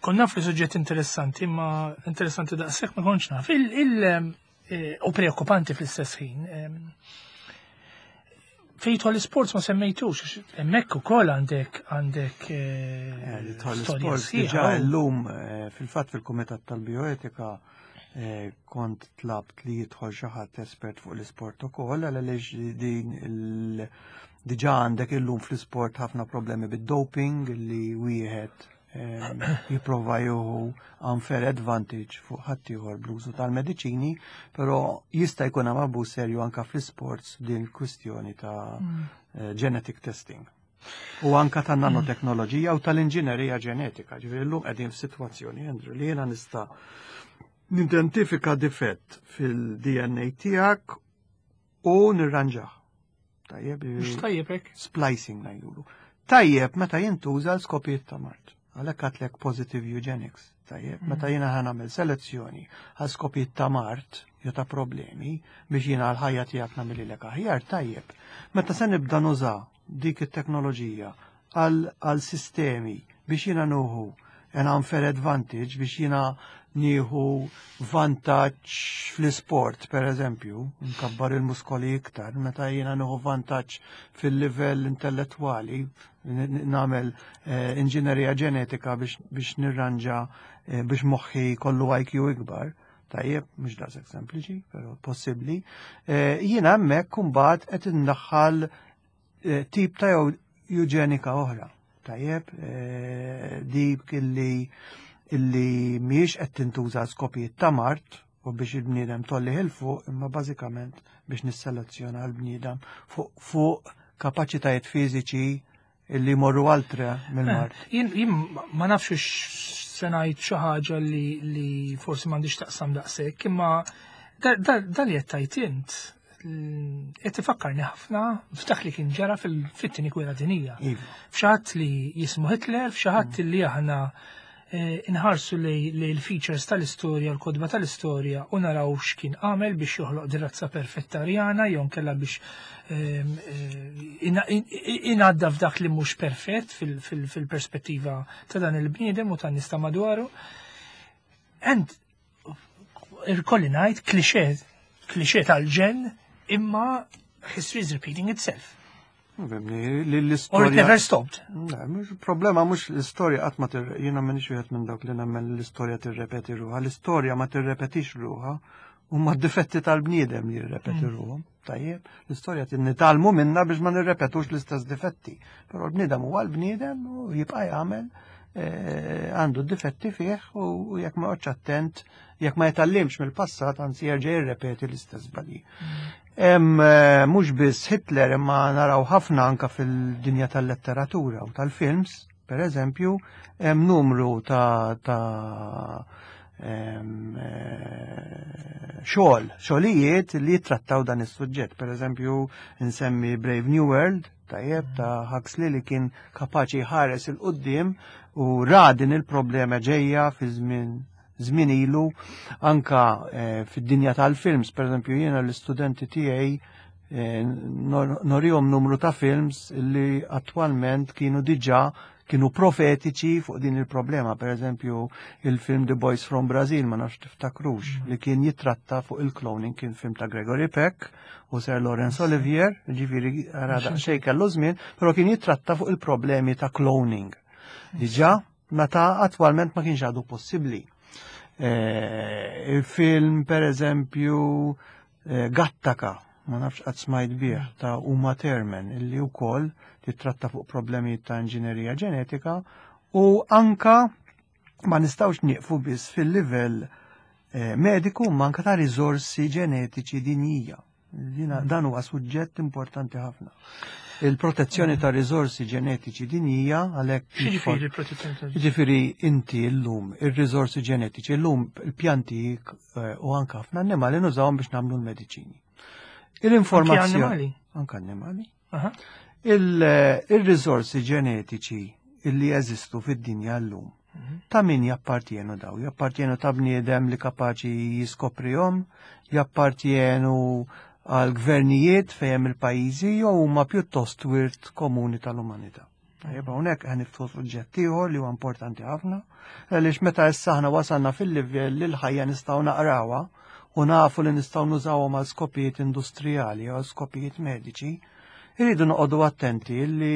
Kont naf li suġġett interessanti, ma interessanti daqshekk ma kontx naf. Il, il, eh, u preokkupanti fl-istess ħin. Fejn jidħol l-sports ma semmejtux, hemmhekk ukoll għandek għandek eh, storja sħiħa. Illum eh, fil-fatt fil-Kumitat tal-Bioetika kont tlabt li jidħol xi ħadd espert fuq l-isport ukoll għaliex din il diġà għandek illum fl-isport ħafna problemi bid-doping li wieħed jipprova jieħu unfair advantage fuq ħaddieħor bl-użu tal-mediċini, però jista' jkun hemm abbuż serju anka fl-sports din il-kwistjoni ta' mm. eh, genetic testing. U anka ta' nanoteknoloġija u tal-inġinerija ġenetika. Ġifieri llum qegħdin f'sitwazzjoni, Andrew, li jiena nista' nidentifika difett fil-D N A tiegħek u nirranġah. Tajjeb, Mhux tajjeb hekk. Splicing ngħidulu. Tajjeb meta jintuża l-skopijiet ta' mard. Għalhekk għedtlek positive eugenics. Tajjeb, mm. meta jiena ħa nagħmel selezzjoni għal skopijiet ta' mard jew ta' problemi biex jiena l-ħajja tiegħek nagħmililek aħjar, tajjeb. Meta se nibda nuża dik it-teknoloġija għal sistemi biex jiena nieħu an unfair advantage biex jiena nieħu vantaġġ fl-isport, per eżempju, nkabbar il-muskoli iktar, meta jiena nieħu vantaġġ fil-livell intellettwali, nagħmel eh, inġinerija ġenetika biex, biex nirranġa eh, biex moħħi kollu I Q ikbar, tajjeb, mhux daqshekk sempliċi, però possibbli. Eh, jiena hemmhekk imbagħad qed indaħħal tip ta' eugenika oħra. Tajjeb, dik illi illi mhijiex qed tintuża skopijiet ta' mard u biex il-bniedem ttellgħu 'l fuq, imma bażikament biex nisselezzjona l-bniedem fuq fuq kapaċitajiet fiżiċi illi morru oltre mill-mard. Jien jien ma nafx se ngħid xi ħaġa li li forsi m'għandix taqsam daqshekk, imma da li qed tgħid int qed tifakkarni ħafna f'dak li kien ġara fil-fit-tieni gwerra dinija. Iva. F'xi ħadd li jismu Hitler, f'xi ħadd li aħna eh, inħarsu li l-features tal-istorja, l-kotba tal-istorja u naraw x'kien għamel biex joħloq din razza perfetta arjana jew kella biex ehm, eh, inadda f'dak li mhux perfett fil-perspettiva ta' dan il-bniedem u tan-nies ta' madwaru. And irkolli ngħid klixe, klixe tal-ġen, imma history is repeating itself. L-istorja. Or it never stopped. Mhux problema, mhux l-istorja qatt ma tir jiena m'iniex wieħed minn dawk li nemmen l-istorja tirrepeti ruħha. L-istorja ma tirrepetix ruħha, huma d-difetti tal-bniedem li jirrepeti mm. ruħhom. Tajjeb, l-istorja nitgħallmu minna biex ma nirrepetux l-istess difetti. Però l-bniedem huwa l-bniedem u jibqa' jagħmel eh, għandu difetti fih u jekk ma attent, jekk ma jitgħallimx mill-passat, anzi jerġa' jirrepeti l-istess żbalji. Hemm eh, mhux biss Hitler, imma naraw ħafna anka fil-dinja tal-letteratura u tal-films, per eżempju, hemm numru ta' ta' em, eh, xogħol, xogħlijiet li jittrattaw dan is-suġġett. Per eżempju, nsemmi Brave New World, tajjeb, ta' Huxley, li kien kapaċi jħares 'il quddiem u ra din il-problema ġejja fi żmien żmien ilu. Anka eh, fid-dinja tal-films, per eżempju, jiena l-istudenti tiegħi eh, nor- norihom numru ta' films li attwalment kienu diġà kienu profetiċi fuq din il-problema. Per eżempju, il-film The Boys from Brazil, ma nafx tiftakrux, li kien jitratta fuq il-cloning, kien film ta' Gregory Peck u Sir Laurence Olivier, ġifieri għara daqsxejn kellu żmien, però kien jitratta fuq il-problemi ta' cloning. Diġà, meta attwalment ma kienx għadu possibbli. Eh, il-film, per eżempju, eh, Gattaca, ma nafx qatt smajt bih, ta' Uma Thurman, illi wkoll titratta fuq problemi ta' inġinerija ġenetika. U anka ma nistgħux nieqfu biss fil-livell eh, mediku, ma anka ta' riżorsi ġenetiċi dinjija. Dina, dan huwa suġġett importanti ħafna. Il-protezzjoni ta' riżorsi ġenetiċi dinjija għalhekk X'jiġifieri il-protezzjoni ta' Ġifieri inti llum ir-riżorsi ġenetiċi, llum il-pjanti eh, u anka ħafna annimali nużawhom biex nagħmlu l-mediċini. Il-informazzjoni. Annimali? Anka annimali. Aha. Il- Il-riżorsi ġenetiċi illi jeżistu fid-dinja llum. Ta' min jappartienu daw? Jappartienu ta' bniedem li kapaċi jiskoprihom, jappartienu għal gvernijiet fejn il-pajjiżi jew huma pjuttost wirt komuni tal-umanità? Tajjeb, hawnhekk qed niftħu suġġett ieħor li huwa importanti ħafna, għaliex meta issa aħna wasalna fil-livell li l-ħajja nistgħu naqrawha u nafu li nistgħu nużawhom għal skopijiet industrijali għal skopijiet mediċi, irridu noqogħdu attenti li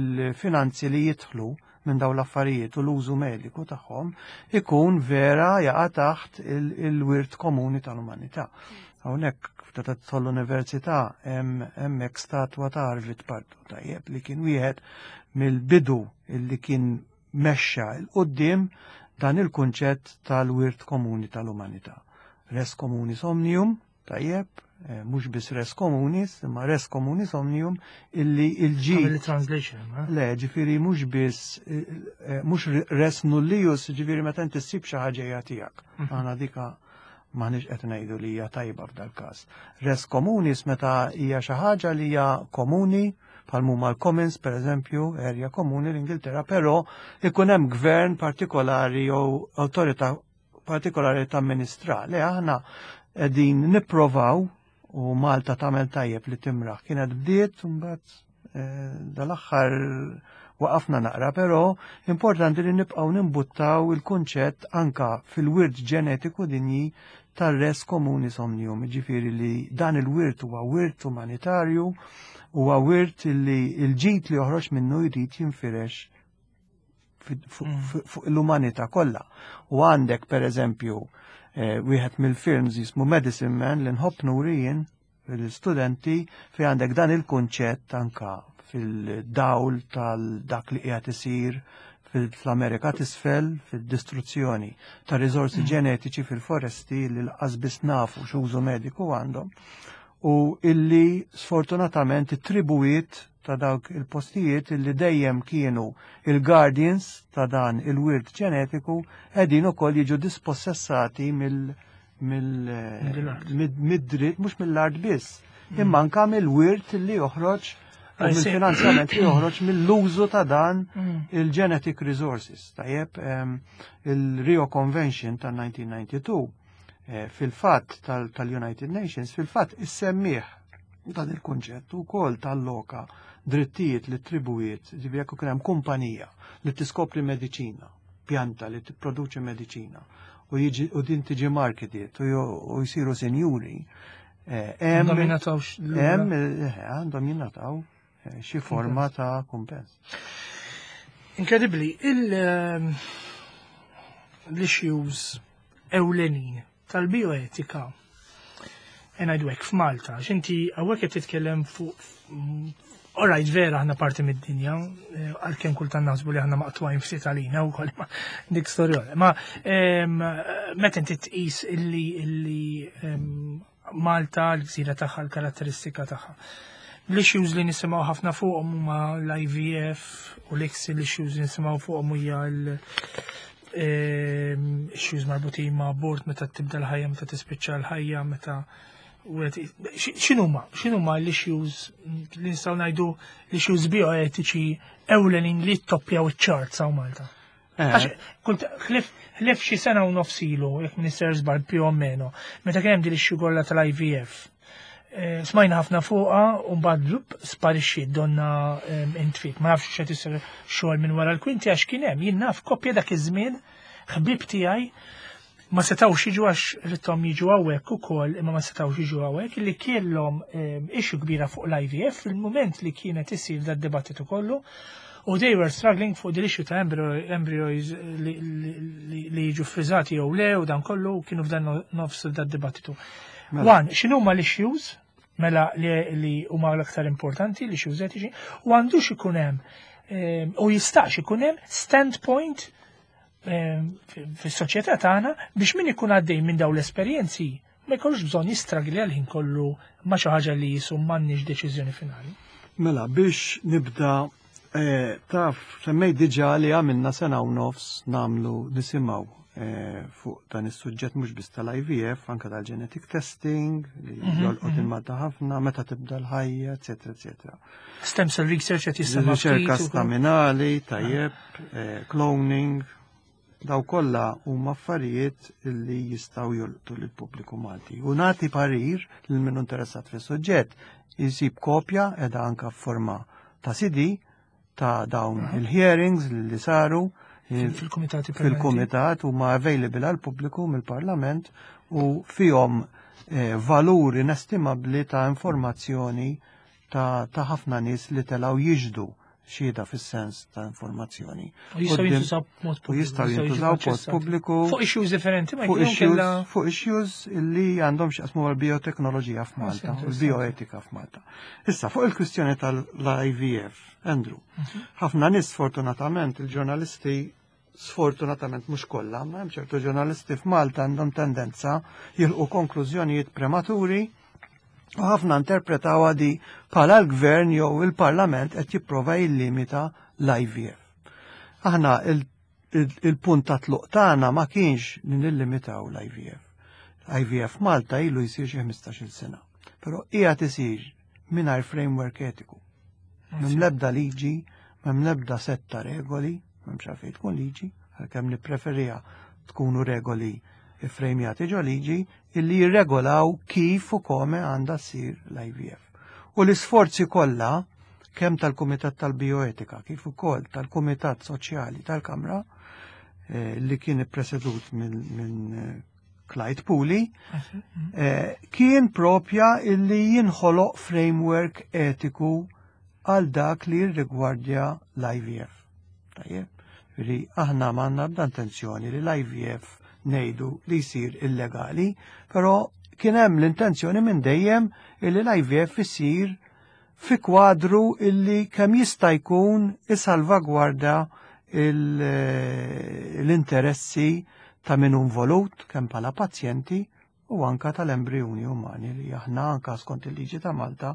l-finanzi li jidħlu minn dawn l-affarijiet u l-użu mediku tagħhom ikun vera jaqa' taħt il-wirt komuni tal-umanità. Hawnhekk ta' tidħol l-università hemm hemmhekk statwa ta' Arvid Pardo, tajjeb, li kien wieħed mill-bidu illi kien mexxa 'l quddiem dan il-kunċett tal-wirt komuni tal-umanità. Res communis omnium, tajjeb, eh, mhux biss res communis, imma res communis omnium illi il-ġi. Għamil translation, ha? Le, ġifieri mhux biss, eh, eh, mhux res nullius, ġifieri meta inti ssib xi ħaġa hija tiegħek. Aħna dika m'aħniex qed ngħidu li hija tajba f'dal każ. Res communis meta hija xi ħaġa li hija komuni, bħal huma l-commons, per eżempju, area komuni l-Ingilterra, però ikun hemm gvern partikolari jew awtorità partikolari ta' amministra. Le, aħna qegħdin nipprovaw u Malta tagħmel tajjeb li timraħ. Kienet bdiet, mbagħad eh, dal-aħħar Waqafna naqra, però importanti li nibqgħu nimbuttaw il-kunċett anka fil-wirt ġenetiku dinji tar-res communis omnium, ġifieri li dan il-wirt huwa wirt umanitarju, huwa wirt li l-ġid li joħroġ minnu jrid jinfirex mm. fuq l-umanità kollha. U għandek per eżempju eh, wieħed mill-films jismu Medicine Man li nħobb nuri jien l-studenti fi għandek dan il-kunċett anka fil-dawl tal-dak li qiegħed isir fl-Amerika t'isfel fil-distruzzjoni ta' riżorsi mm. ġenetiċi fil-foresti li lanqas biss nafu x'użu mediku għandhom u illi sfortunatament it-tribujiet ta' dawk il-postijiet illi dejjem kienu il-guardians ta' dan il-wirt ġenetiku qegħdin ukoll jiġu dispossessati mill mill-dritt mhux mill-art biss, mm. imma anka mill-wirt li joħroġ u mill-finanzjament li joħroġ mill-użu ta' dan mm. il-genetic resources. Tajjeb, il-Rio Convention ta' elf disa' mija u disgħa u disgħin eh, fil-fatt tal-United Nations, fil-fatt issemmih dan il-kunċett u kol tal-loka drittijiet li tribujiet, ġifieri jekk hemm kumpanija li tiskopri mediċina, pjanta li tipproduċi mediċina u jiġi u din tiġi marketed u jsiru senjuri. Eh, għandhom jingħataw Hemm eh, għandhom jingħataw eh, xi forma ta' kumpens. Inkredibbli, il- l-issues ewlenin tal-bioetika ngħidu hekk f'Malta, x'inti hawnhekk qed titkellem fuq. Alright, vera aħna parti mid-dinja, eh, għalkemm kultant naħsbu li aħna maqtugħin ftit għalina u koll, ma dik storja. Ma meta inti tqis illi illi Malta, l-gżira tagħha, l-karatteristika tagħha. L-issues li nisimgħu ħafna fuqhom huma l-I V F u l-I C S I, l-issues li nisimgħu fuqhom hija l issues marbutin ma' abort, meta tibda l-ħajja, meta tispiċċa l-ħajja, meta x'inhuma, x'inhuma l-issues li nistgħu ngħidu l-issues bioetiċi ewlenin li toppjaw iċ-charts hawn Malta? Eh. Kunt ħlief xi sena u nofs ilu, jekk minister żball più o meno, meta kien hemm din ix kollha tal-I V F. Eh, smajna ħafna fuqha u mbagħad blup sparixxi donna intfit. Ma nafx x'qed isir xogħol minn wara l-kwinti għax kien hemm jien naf koppja dak iż-żmien ħbib tiegħi ma setawx jiġu għax ridthom jiġu hawnhekk ukoll imma ma setawx jiġu hawnhekk li kellhom issue kbira fuq l-I V F fil-mument li kienet isir dad dibattitu kollu u they were struggling fuq the issue ta' embryos li jiġu frizzati jew le u dan kollu kienu f'dan nofs dad dibattitu. Mela. One, x'inhuma l-issues mela li huma l-aktar importanti, l-issues etiċi, u għandux ikun hemm u jistax ikun hemm standpoint fis-soċjetà tagħna biex min ikun għaddej minn dawn l-esperjenzi ma jkollux bżonn jistragli għal ħin kollu ma xi ħaġa li jisu m'għandniex deċiżjoni finali. Mela, biex nibda eh, taf, semmejt diġà li għamilna sena u nofs nagħmlu nisimgħu eh, fuq dan is-suġġett mhux biss tal-I V F, anka tal-genetic testing, li mhm, jolqot mhm. il-Malta ħafna, meta tibda l-ħajja, eċetera, eċetera. Stem cell research qed jissemma. Riċerka staminali, tajjeb, eh, cloning, daw kollha huma affarijiet li jistgħu jolqtu lill-pubbliku Malti. U nagħti parir lil min interessat fis-suġġett jisib kopja edha anka f'forma ta' C D ta' dawn il-hearings li saru fil-komitati. Fil-komitat huma available għal pubbliku mill-Parlament u fihom eh, valur inestimabbli ta' informazzjoni ta' ħafna nies li telgħu jixhdu xhieda fis-sens ta' informazzjoni. U jistgħu jintużaw b'mod U jistgħu jintużaw b'mod pubbliku. Fuq issues differenti ma fuq issues, fuq issues illi għandhom x'jaqsmu mal-bioteknoloġija f'Malta, u l-bioetika f'Malta. Issa, fuq il-kwistjoni tal-I V F, Andrew, mhm. ħafna nies sfortunatament, il-ġurnalisti sfortunatament mhux kollha, ma hemm ċertu ġurnalisti f'Malta għandhom tendenza jilħqu konklużjonijiet prematuri u ħafna interpretaw di bħala l-gvern jew il-parlament qed jipprova jillimita l-I V F. Aħna il-punt ta' tluq tagħna ma kienx li nillimitaw l-I V F. I V F Malta ilu jsir xi ħmistax-il sena. Però qiegħed isir mingħajr framework etiku. M'hemm l-ebda liġi, m'hemm l-ebda sett ta' regoli, m'hemmx għalfejn tkun liġi, għalkemm nippreferiha tkunu regoli frejmjati ġo liġi illi jirregolaw kif u kome għandha ssir l-I V F. U l-isforzi kollha kemm tal-Kumitat tal-Bioetika kif ukoll tal-Kumitat Soċjali tal-Kamra, eh, li kien ippresedut minn eh, Clyde Puli, eh, kien propja illi jinħoloq framework etiku għal dak li jirrigwardja l-I V F. Tajjeb, li aħna m'għandna ebda intenzjoni li l-I V F ngħidu li jsir illegali, però kien hemm l-intenzjoni minn dejjem illi l-I V F isir fi kwadru illi kemm jista' jkun isalvagwarda l-interessi ta' min hu involut, kemm bħala pazjenti u anka tal-embrjuni umani li aħna anka skont il-liġi ta' Malta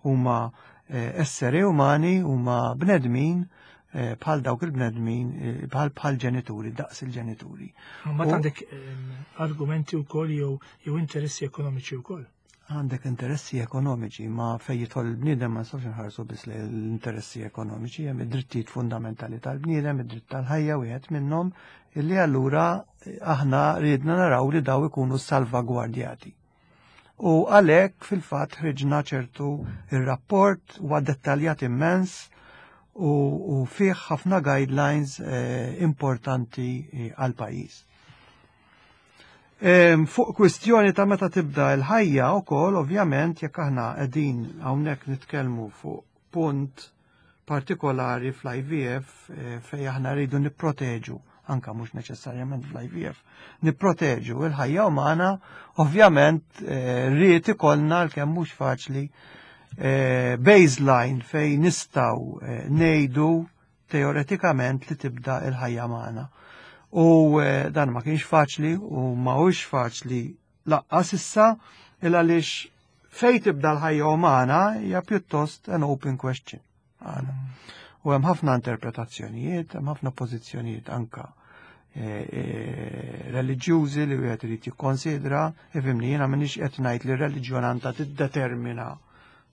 huma eh, esseri umani, huma bnedmin eh, bħal dawk il-bnedmin, eh, bħal bħal ġenituri, daqs il-ġenituri. Ma għandek argumenti wkoll jew jew interessi ekonomiċi wkoll. Għandek interessi ekonomiċi, ma fej jidħol il-bniedem ma nistgħux nħarsu biss l-interessi ekonomiċi, hemm id-drittijiet fundamentali tal-bniedem, id-dritt tal-ħajja wieħed minnhom, illi allura aħna riedna naraw li daw ikunu salvagwardjati. U għalhekk fil-fatt ħriġna ċertu il-rapport, huwa dettaljat immens u, u fih ħafna guidelines eh, importanti eh, għal pajjiż. Fuq kwistjoni ta' meta tibda l-ħajja wkoll, ovvjament, jekk aħna qegħdin hawnhekk nitkellmu fuq punt partikolari fl-I V F, eh, fej aħna rridu nipproteġu, anka mhux neċessarjament fl-I V F, nipproteġu il-ħajja umana, ovvjament eh, rrid ikollna, l-kemm mhux faċli, eh, baseline fej nistgħu ngħidu teoretikament li tibda il-ħajja magħna. U eh, dan ma kienx faċli u ma hux faċli lanqas issa, il għaliex fej tibda l-ħajja umana hija pjuttost an open question. Għana. U hemm ħafna interpretazzjonijiet, hemm ħafna pożizzjonijiet anka eh, eh, reliġjużi li wieħed irid jikkonsidra. Ifhimni, jiena m'iniex qed ngħid li r-reliġjon għandha tiddetermina,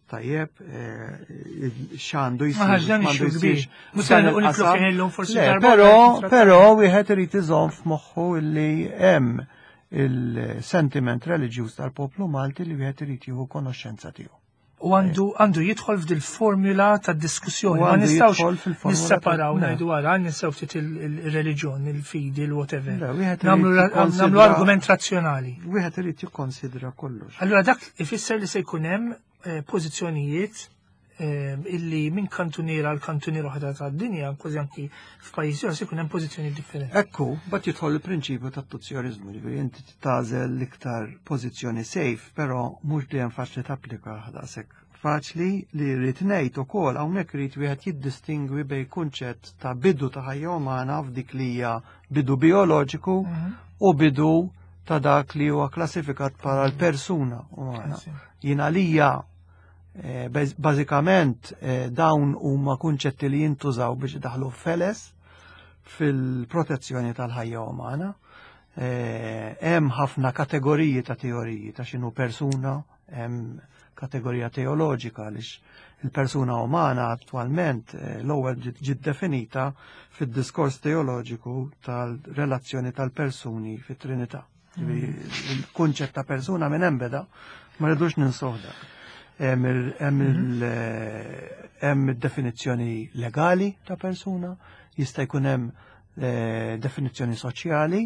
tajjeb, eh, x'għandu jsir. Però però wieħed irid iżomm f'moħħu li hemm il-sentiment reliġjuż tal-poplu Malti li wieħed irid jieħu konoxxenza tiegħu. U għandu għandu jidħol f'dil formula ta' diskussjoni. Ma nistgħux nisseparaw, ngħidu għara, ninsew ftit il-reliġjon, il-fidi, il-whatever. Nagħmlu argument razzjonali. Wieħed irid jikkonsidra kollox. Allura dak ifisser li se jkun hemm eh, pożizzjonijiet eh, illi minn kantuniera għal kantuniera oħra tad-dinja, kważi anki f'pajjiżi oħra, se jkun hemm pożizzjoni differenti. Ekku, bat jidħol il-prinċipju tat-tuzjorizmu, ġifieri inti tagħżel l-iktar pożizzjoni safe, però mhux dejjem faċli tapplika daqshekk faċli. Li rrid ngħid ukoll hawnhekk, irid wieħed jiddistingwi bejn kunċett ta' bidu ta' ħajja umana f'dik li hija bidu bioloġiku mhm. u bidu ta' dak li huwa klassifikat bħala l-persuna umana. Jien għalija eh, bażikament eh, dawn huma kunċetti li jintużaw biex daħlu feles fil-protezzjoni tal-ħajja umana. Eh, hemm ħafna kategoriji ta' teoriji ta' x'inhu persuna, hemm kategorija teoloġika, għaliex il-persuna umana attualment l-ewwel ġiet definita fid-diskors teoloġiku tal-relazzjoni tal-persuni fit-Trinità. Il-kunċett ta' persuna minn hemm beda, ma rridux ninsuh dak. Hemm id-definizzjoni legali ta' persuna, jista' jkun hemm eh, definizzjoni soċjali,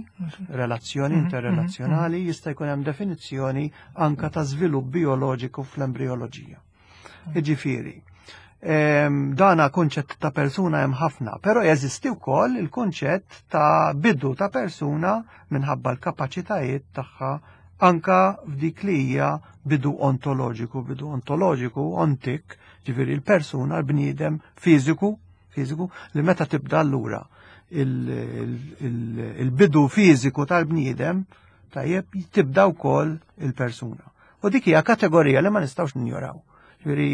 relazzjoni mhm, interrelazzjonali, mhm, jista' jkun hemm definizzjoni anka ta' żvilupp bioloġiku fl-embrioloġija. Jiġifieri, dana kunċett ta' persuna hemm ħafna, però jeżisti wkoll il-kunċett ta' bidu ta' persuna minħabba l-kapaċitajiet tagħha anka f'dik li hija bidu ontoloġiku, bidu ontoloġiku, ontik, ġifieri l-persuna, l-bniedem fiżiku, fiżiku li meta tibda allura il-bidu fiżiku tal-bniedem, tajjeb, tibda wkoll il-persuna. U dik hija kategorija li ma nistgħux ninjoraw. Ġifieri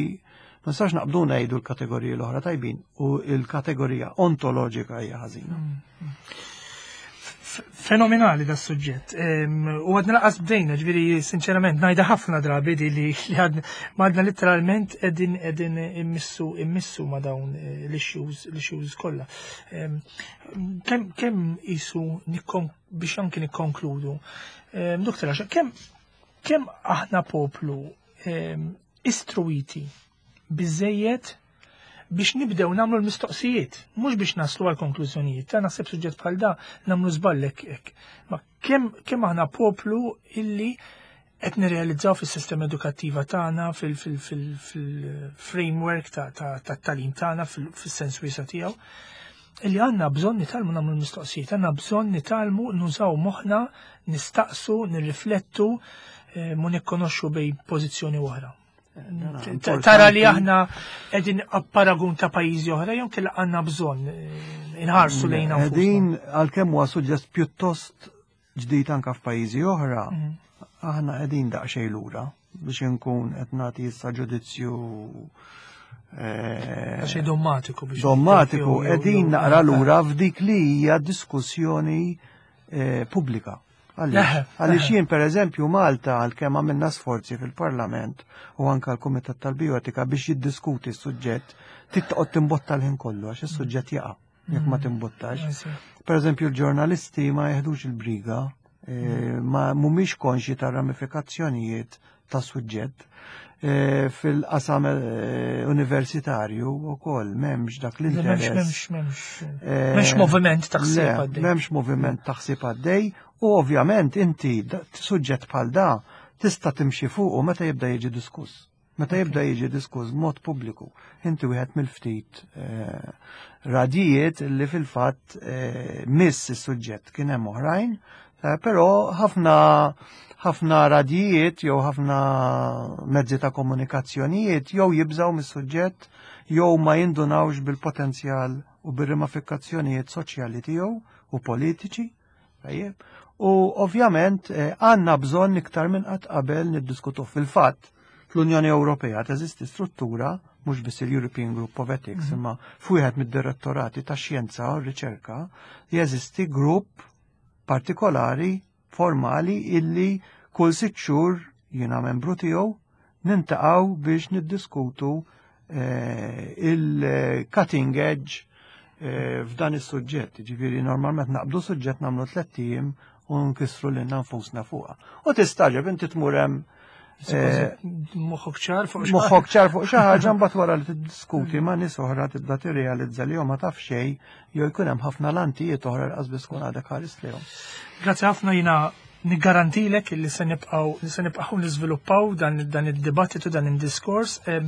ma nistax naqbdu ngħidu l-kategoriji l-oħra tajbin u l-kategorija ontoloġika hija ħażina. Mm. Fenomenali da suġġett. U għadna lanqas bdejna, ġifieri sinċerament, ngħidha ħafna drabi di li għadna, ma għadna literalment qegħdin qegħdin immissu immissu ma dawn eh, l-issues l-issues kollha. Kemm kemm isu biex anki nikkonkludu. Doktor, kemm kemm aħna poplu istruwiti biżejjed Biex nibdew nagħmlu l-mistoqsijiet, mhux biex naslu għal konklużjonijiet. Ta' naħseb suġġett bħal da nagħmlu żball hekk. Ma kemm kemm aħna poplu illi qed nirrealizzaw fis-sistema edukattiva tagħna, fil-framework tat-tagħlim tagħna fis-sens wiesa' tiegħu, illi għandna bżonn nitgħallmu nagħmlu l-mistoqsijiet, għandna bżonn nitgħallmu nużaw moħħna, nistaqsu, nirriflettu, eh, mu nikkonoxxu bejn pożizzjoni oħra. Tara li aħna qegħdin paragun ta' pajjiżi oħra jew kellha għandna bżonn eh, inħarsu lejna. Qegħdin, għalkemm huwa suġġett pjuttost ġdid anka f'pajjiżi oħra, mm. aħna qegħdin daqsxejn lura, biex inkun qed nagħti issa ġudizzju eh, xej dommatiku biex dommatiku, qegħdin naqra lura f'dik li hija diskussjoni eh, pubblika. Għaliex jien, per eżempju, Malta, għalkemm għamilna sforzi fil-Parlament u anka l-Kumitat tal-Bioetika biex jiddiskuti s-suġġett, titqgħod timbotta l-ħin kollu għax is-suġġett jaqa' jekk ma mm. timbottax. Per eżempju, l-ġurnalisti ma jeħdux il-briga, eh, ma mhumiex konxi ta' ramifikazzjonijiet ta' suġġett. Eh, fil-qasam eh, universitarju u koll m'hemmx dak l-interess. M'hemmx, m'hemmx, m'hemmx moviment taħsib għaddej. M'hemmx moviment taħsib għaddej u ovvjament inti suġġett bħal da tista' timxi fuq u meta jibda jiġi diskuss. Meta jibda jiġi diskuss mod pubbliku, inti wieħed mill-ftit eh, radijiet li fil-fatt eh, miss is-suġġett. Kien hemm oħrajn, eh, però ħafna ħafna radijiet jew ħafna mezzi ta' komunikazzjonijiet jew jibżaw mis-suġġett jew ma jindunawx bil-potenzjal u bir-ramifikazzjonijiet soċjali tiegħu u politiċi. Tajjeb. U ovvjament għandna bżonn iktar minn qatt qabel niddiskutu. Fil-fatt, fl-Unjoni Ewropea teżisti struttura, mhux biss il-European Group of Ethics, mhm. imma f'wieħed mid-direttorati ta' xjenza u riċerka jeżisti grupp partikolari formali illi kull sitt xhur, jiena membru tiegħu, niltaqgħu biex niddiskutu eh, il-cutting edge eh, f'dan is-suġġett. Ġifieri normalment naqbdu suġġett, nagħmlu tlett ijiem u nkissru lil nfusna fuqha. U tistagħġeb, inti tmur hemm eh, moħħok ċar fuq moħħok ċar fuq xi ħaġa, mbagħad wara li tiddiskuti ma' nies oħra tibda tirrealizza li ma taf xejn jew jkun hemm ħafna lantijiet oħra li biss tkun għadek ħares lejhom. Grazzi ħafna. Jiena niggarantilek li se nibqgħu se nibqgħu niżviluppaw dan dan id-dibattitu, dan id-diskors. Eh,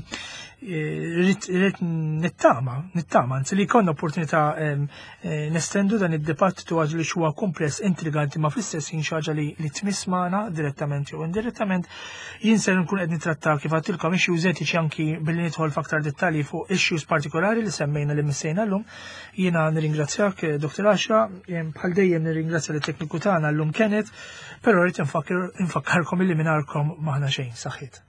rrid nittama, nittama, anzi, li jkollna opportunità eh, nestendu dan id-dibattitu għax li huwa kumpless, intriganti, ma fl-istess ħin xi ħaġa li li tmiss magħna direttament jew indirettament. Jien ser nkun qed nitratta, kif għedtilkom, issues etiċi anki billi nidħol f'aktar dettalji fuq issues partikolari li semmejna, li missejna llum. Jiena nirringrazzjak, eh, Doktor Asha, bħal dejjem nirringrazzja lit-tekniku tagħna llum Kenneth, però rrid infakkarkom illi mingħajrkom m'aħna xejn. Saħħit.